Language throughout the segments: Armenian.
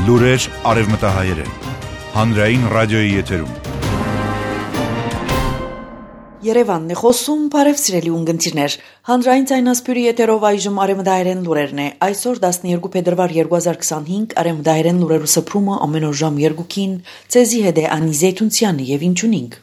Լուրեր արևմտահայերեն, հանրային ռադիոյի եթերում։ Երևանն է խոսում, բարև սիրելի ունգընտիրներ, հանրային ցայնասպյուրի եթերով այժմ արևմտահայերեն լուրերն է, այսօր 12 փետրվար 2025, արևմտահայերեն լուրերու սփռումը ամեն օր ժամ 2-ին, ցեզի հետ է Անի Զեյթունցյանը եւ ինչունինք։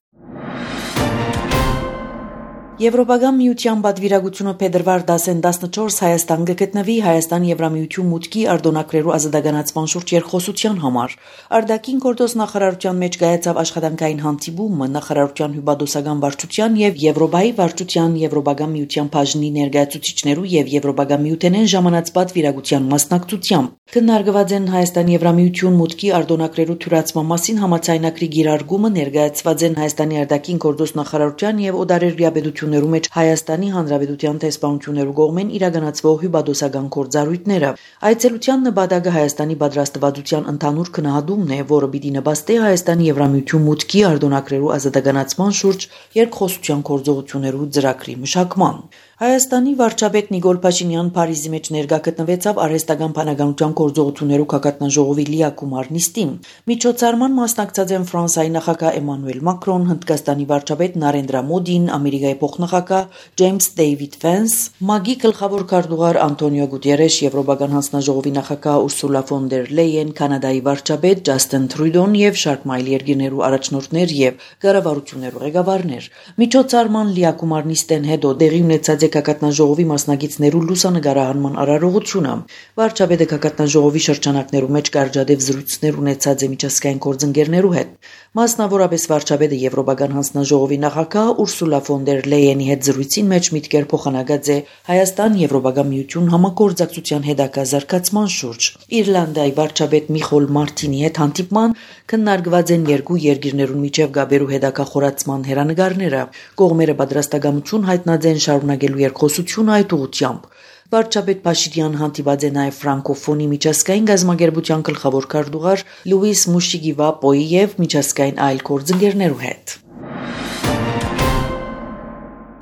Եվրոպական միության բادվիրագությունը փետրվար 10-14 Հայաստան գտնվի Հայաստան Եվրամիություն մուտքի արտոնակրելու ազատականացման շուրջ երկխոսության համար։ Արտաքին գործոս նախարարության մեջ կայացավ աշխատանքային հանդիպումը նախարարության հյուպատոսական վարչության եւ Եվրոպայի վարչության Եվրոպական միության բաժնի ներկայացուցիչներու եւ Եվրոպական միութենեն ժամանած բادվիրագության մասնակցությամբ։ Քննարկված են Հայաստան Եվրամիություն մուտքի արտոնակրելու թյուրացման մասին համաձայնագրի գիրարգումը ներկայացված են Հայաստանի արտաքին գործոս նախարարության եւ օդարերյա պետություններու մեջ Հայաստանի Հանրապետության տեսփանություններու կողմեն իրականացվող հյուպատոսական գործառույթները։ Այցելության նպատակը Հայաստանի պատրաստվածության ընդհանուր քննադումն է, որը պիտի նպաստի Հայաստանի Եվրամիություն մուտքի արտոնակրելու ազատականացման շուրջ երկխոսության գործողություններու ծրագրի մշակման։ Հայաստանի վարչապետ Նիկոլ Փաշինյան Փարիզի մեջ ներկա գտնվեցավ արհեստական բանականության գործողություններու քակատնաժողովի լիակումար նիստին։ Միջոցառման մասնակցած են Ֆրանսիայի նախագահ Էմանուել Մակրոն, Հնդկաստանի վարչապետ Նարենդրա Մոդին, Ամերիկայի փոխնախագահ Ջեյմս Դեյվիդ Վենս, ՄԱԳ-ի գլխավոր քարտուղար Անտոնիո Գուտերեշ, Եվրոպական հանձնաժողովի նախագահ Ուրսուլա ֆոն դեր Լեյեն, Կանադայի վարչապետ Ջասթին Թրյուդոն եւ շարք այլ երկրներու առաջնորդներ եւ կառավարություններու ղեկավարներ։ Միջոցառման լիակումար նիստեն հետո դեղի ունեցած Կակատնաժողովի մասնակիցներու լուսանկարահանման արարողությունը վարչապետը կակատնաժողովի շրջանակներու մեջ կարճադեպ զրույցներ ունեցած է միջազգային գործընկերներու հետ։ Մասնավորապես վարչապետը Եվրոպական հանձնաժողովի նախագահ Ուրսուլա ֆոն դեր Լեյենի հետ զրույցին մեջ միտքեր փոխանակած է Հայաստան-Եվրոպական միություն համագործակցության հետագա զարգացման շուրջ։ Իռլանդիայի վարչապետ Միխոլ Մարտինի հետ հանդիպման քննարկված են երկու երկրներուն միջև գաբերու հետագա խորացման հերանեկարները։ Կողմերը պատրաստակամություն հայտնած են շարունակելու երկխոսությունը այդ ուղղությամբ։ Վարչապետ Փաշինյան հանդիպած է նաև ֆրանկոֆոնի միջազգային գազམ་ագերբության գլխավոր քարտուղար Լուիս Մուշիգիվապոյի եւ միջազգային այլ գործընկերներու հետ։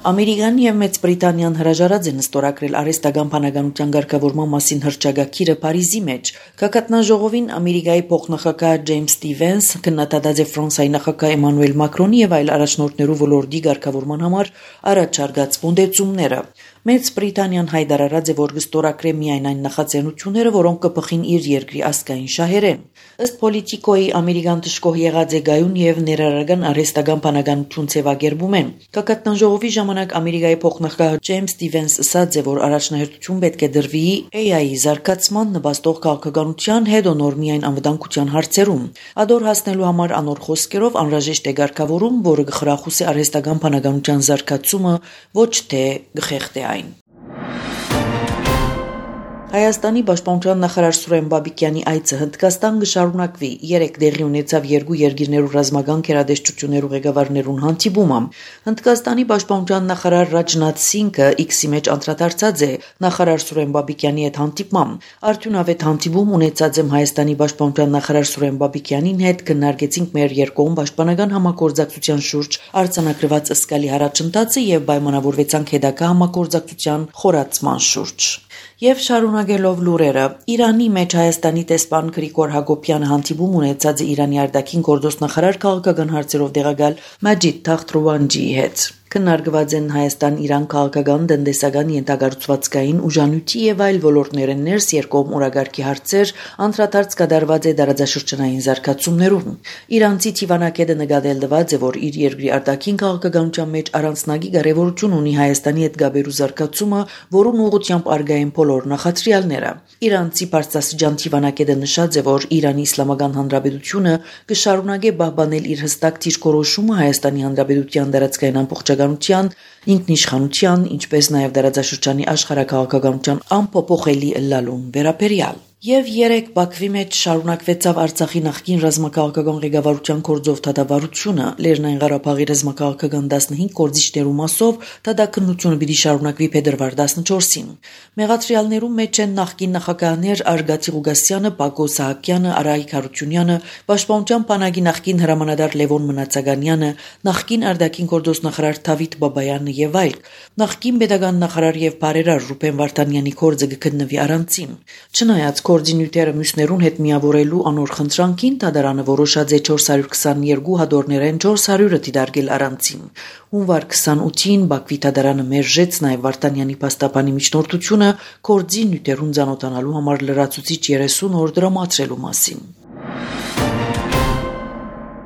Ամերիկան եւ Մեծ Բրիտանիան հրաժարած են ստորագրել արհեստական բանականության ղեկավարման մասին հռչակագիրը Փարիզի մեջ։ Կակատնաժողովին Ամերիկայի փոխնախագահ Ջեյմս Ստիվենս քննադատած է Ֆրանսիայի նախագահ Էմանուել Մակրոնի եւ այլ առաջնորդներու ոլորտի ղեկավարման համար առաջարկած մոդեցումները։ Մեծ Բրիտանիան հայտարարած է, որ կստորագրե միայն այն նախաձեռնությունները, որոնք կփխին իր երկրի ազգային շահերեն։ Ըստ Պոլիտիկոյի ամերիկան դժկոհ եղած է գայուն եւ ներառական արհեստական բանականություն ձևակերպում են։ Կակատնաժողովի ժամանակ Ամերիկայի փոխնախագահ Ջեյմս Ստիվենս ասաց է, որ առաջնահերթություն պետք է դրվի AI-ի զարգացման նպաստող քաղաքականության հետ նոր միայն անվտանգության հարցերում։ Ադոր հասնելու համար անոր խոսքերով անհրաժեշտ է ղեկավարում, որը կխրախուսի արհեստական բանականության զարգացումը, ոչ թե գխեղդի այն։ Հայաստանի պաշտպանության նախարար Սուրեն Բաբիկյանի այցը Հնդկաստան կշարունակվի։ Երեք դեղի ունեցավ երկու երկիրներու ռազմական քերադեշտություններու ղեկավարներուն հանդիպումը։ Հնդկաստանի պաշտպանության նախարար Ռաջնաթ Սինգը X-ի մեջ անդրադարձած է նախարար Սուրեն Բաբիկյանի հետ հանդիպման։ Արդյունավետ հանդիպում ունեցած եմ Հայաստանի պաշտպանության նախարար Սուրեն Բաբիկյանին հետ քննարկեցինք մեր երկկողմ պաշտպանական համագործակցության շուրջ արձանագրված ըսկալի առաջընթացը եւ պայմանավորվեցանք հետագա համագործակցության խորացման շուրջ։ Եվ շարունակելով լուրերը, Իրանի մեջ Հայաստանի տեսփան Գրիգոր Հակոբյանը հանդիպում ունեցած է Իրանի արտաքին գործոս նախարար քաղաքական հարցերով տեղակալ Մաջիդ Թախթրովանջիի հետ։ Քննարկված են Հայաստան-Իրան քաղաքական, տնտեսական, ենթակառուցվածքային, ուժանույթի եւ այլ ոլորտներեն ներս երկկողմ օրագարկի հարցեր, անդրադարձ կատարված է դարաձաշրջանային զարգացումներում։ Իրանցի Թիվանակետը նկատել տված է, որ իր երկրի արտաքին քաղաքականության մեջ առանձնագի կարևորություն ունի Հայաստանի հետ գաբերու զարգացումը, որուն ուղղությամբ արգա են բոլոր նախադրյալները։ Իրանցի Պարսասջան Թիվանակետը նշած է, որ Իրանի Իսլամական Հանրապետությունը կշարունակի պահպանել իր հստակ դիրքորոշումը Հայաստանի Հանրապետության դարածքային ամբողջականության, ինքնիշխանության, ինչպես նաև դարաձաշրջանի աշխարհաքաղաքականության անփոփոխելի ըլլալուն վերաբերյալ։ Եվ երեք Բաքվի մեջ շարունակվեցավ Արցախի նախկին ռազմաքաղաքական ղեկավարության գործով դատավարությունը, Լեռնային Ղարաբաղի ռազմաքաղաքական 15 գործիչներու մասով դատաքննությունը պիտի շարունակվի փետրվար 14-ին։ Մեղադրյալներու մեջ են նախկին նախագահներ Արգատի Ղուգասյանը, Բակո Սահակյանը, Արայիկ Հարությունյանը, Պաշտպանության բանակի նախկին հրամանատար Լևոն Մնացականյանը, նախկին արտաքին գործոս նախարար Դավիթ Բաբայանը եւ այլ։ Նախկին պետական նախարար եւ բարերար Ռուբեն Վարդանյանի գործը կգտնվի առանցին։ Չնայած գործի նյութերը մյուսներուն հետ միավորելու անոր խնդրանքին դատարանը որոշած է 422 հադորներեն 400-ը դիտարկել առանցին։ Հունվար 28-ին Բաքվի դատարանը մերժեց նաև Վարդանյանի փաստաբանի միջնորդությունը գործի նյութերուն ծանոթանալու համար լրացուցիչ 30 օր դրամատրելու մասին։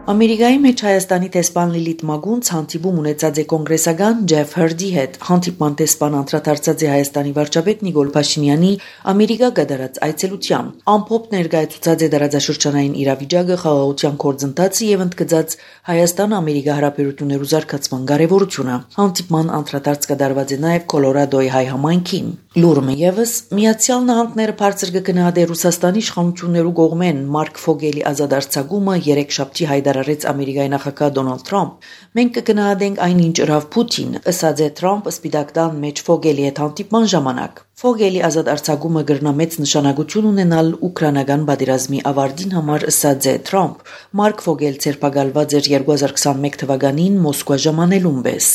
Ամերիկայի մեջ Հայաստանի տեսփան Լիլիթ Մագունց հանդիպում ունեցած է կոնգրեսական Ջեֆ Հըրդի հետ։ Հանդիպման տեսփան անդրադարձած է Հայաստանի վարչապետ Նիկոլ Փաշինյանի Ամերիկա գդարած այցելության։ Ամփոփ ներկայացուցած է դարաձաշրջանային իրավիճակը, խաղաղության գործընթացը եւ ընդգծած Հայաստան-Ամերիկա հարաբերություններու զարգացման կարեւորությունը։ Հանդիպման անդրադարձ կդարված է նաեւ Կոլորադոյի հայ համայնքին։ Լուրը եւս Միացյալ Նահանգները բարձր կգնահատե Ռուսաստանի իշխանություններու կողմեն Մարկ Ֆոգելի ազատարձակումը երեքշաբթի հայտարարեց Ամերիկայի նախագահ Դոնալդ Թրամփ։ Մենք կգնահատենք այնինչ ըրավ Պուտին, ըսած է Թրամփ Սպիտակ տան մեջ Ֆոգելի հետ հանդիպման ժամանակ։ Ֆոգելի ազատարձակումը կրնա մեծ նշանակություն ունենալ ուկրաինական պատերազմի ավարտին համար, ըսած է Թրամփ։ Մարկ Ֆոգել ցերպակալված էր 2021 թվականին Մոսկվա ժամանելուն պես։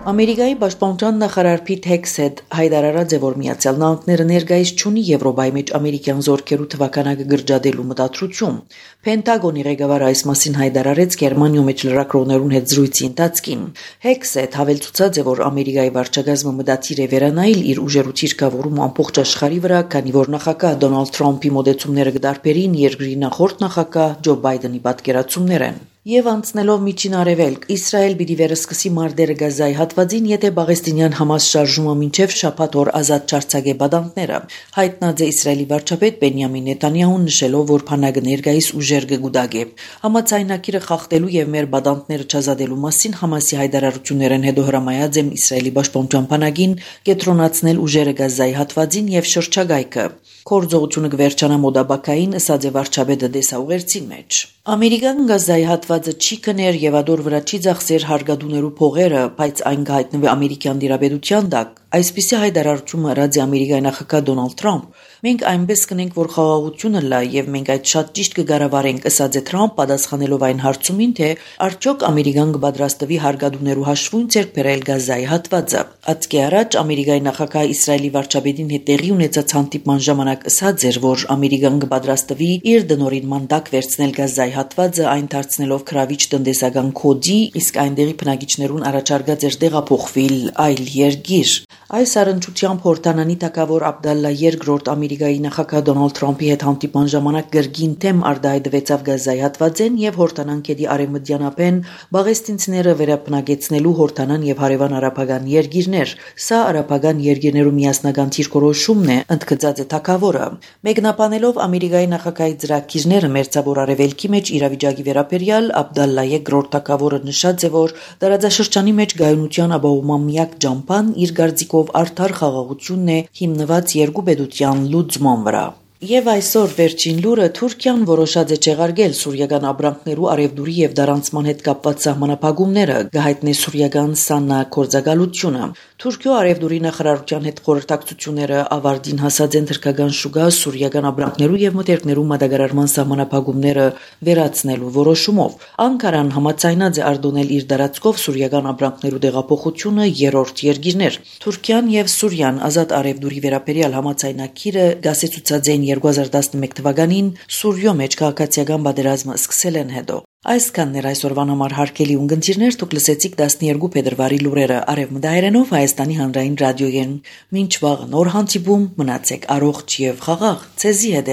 Ամերիկայի պաշտպանության նախարար Փիթ Հեքսեթ հայտարարած է, որ Միացյալ Նահանգները ներկայիս չունի Եվրոպայի մեջ ամերիկյան զորքերու թվականակը գրջադելու մտադրություն։ Պենտագոնի ղեկավարը այս մասին հայտարարեց Գերմանիայի մեջ լրագրողներուն հետ զրույցի ընթացքին։ Հեքսեթ հավելցուցած է, որ Ամերիկայի վարչակազմը մտադիր է վերանայել իր ուժերու ցիրկավորումը ամբողջ աշխարհի վրա, քանի որ նախագահ Դոնալդ Թրամփի մոդեցումները կդարբերին երկրի նախորդ նախագահ Ջո Բայդենի պատկերացումներեն։ Եվ անցնելով միջին արևելք, Իսրայել պիտի վերսկսի մարտերը Գազայի հատվածին, եթե Պաղեստինյան Համաս շարժումը մինչև շաբաթ օր ազատ չարձակե բադանտները։ Հայտնած է Իսրայելի վարչապետ Բենյամին Նեթանյահուն նշելով, որ փանագը ներկայիս ուժեր կգուտակե։ Համաձայնագիրը խախտելու եւ մեր բադանտները չազատելու մասին Համասի հայտարարություններն հետո հրամայած եմ Իսրայելի պաշտպանության փանագին կենտրոնացնել ուժերը Գազայի հատվածին եւ շրջագայքը։ Գործողությունը կվերջանա մոդաբակային, ըսած է վարչապետը դեսաուղերձի մեջ։ Ամերիկան Գազայի հատվածը չի կներ եւ ադոր վրա չի ծախսեր հարգադուներու փողերը, բայց այն կհայտնվի ամերիկյան դիրապետության տակ։ Այսպիսի հայտարարությունը ըրած է Ամերիկայի նախագահ Դոնալդ Թրամփ։ Մենք այնպես կնենք, որ խաղաղությունը լա եւ մենք այդ շատ ճիշտ կգարավարենք, ըսած է Թրամփ, պատասխանելով այն հարցումին, թե արդյոք Ամերիկան կպատրաստվի հարգադուներու հաշվուն ձեռք բերել Գազայի հատվածը։ Ածկի առաջ Ամերիկայի նախագահ Իսրայելի վարչապետին հետ տեղի ունեցած հանդիպման ժամանակ ըսած էր, որ Ամերիկան կպատրաստվի իր դնորինման տակ վերցնել Գազայի հատվածը, այն դարձնելով քրավիչ տնտեսական կոդի, իսկ այնտեղի բնակիչներուն առաջարկած էր տեղափոխվել այլ երկիր։ Այս առընչությամբ Հորդանանի թագավոր Աբդալլա II Ամերիկայի նախագահ Դոնալդ Թրամփի հետ հանդիպման ժամանակ գրգին թեմ արտահայտվեցավ Գազայի հատվածեն եւ Հորդանան գետի արևմտյան ափեն բաղեստինցիները վերապնակեցնելու Հորդանան եւ հարևան արաբական երկիրներ։ Սա արաբական երկիրներու միասնական դիրքորոշումն է, ընդգծած է թագավորը։ Մեկնաբանելով Ամերիկայի նախագահի ծրագիրները մերձավոր արևելքի մեջ իրավիճակի վերաբերյալ Աբդալլա II թագավորը նշած է, որ տարածաշրջանի մեջ գայունության ապահովման միակ ջամփան իր գարձիկով արդար խաղաղությունն է հիմնված երկու պետության լուծման վրա։ Եվ այսօր վերջին լուրը Թուրքիան որոշած է չեղարկել սուրիական ապրանքներու արևդուրի եւ դարանցման հետ կապված սահմանափակումները, գահիտնե սուրիական Սանա կորձակալությունը։ Թուրքիո արևդուրի նախարարության հետ խորհրդակցությունները ավարտին հասած են թրքական շուկա սուրիական ապրանքներու եւ մթերքներու մատակարարման սահմանափակումները վերացնելու որոշումով։ Անկարան համաձայնած է արտոնել իր դարածքով սուրիական ապրանքներու տեղափոխությունը երրորդ երկիրներ։ Թուրքիան եւ Սուրիան ազատ արևդուրի վերաբերյալ համաձայնագիրը գասեցուցած են 2011 թվականին Սուրիո մեջ քաղաքացիական պատերազմը սկսել են հետո։ Այսքանն էր այսօրվան համար հարգելի ունգընտիրներ, դուք լսեցիք 12 փետրվարի լուրերը արևմտահայերենով Հայաստանի հանրային ռադիոյեն։ Մինչ վաղ նոր հանդիպում, մնացեք առողջ եւ խաղաղ։ Ցեզի հետ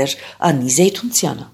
Անի Զեյթունցյանը։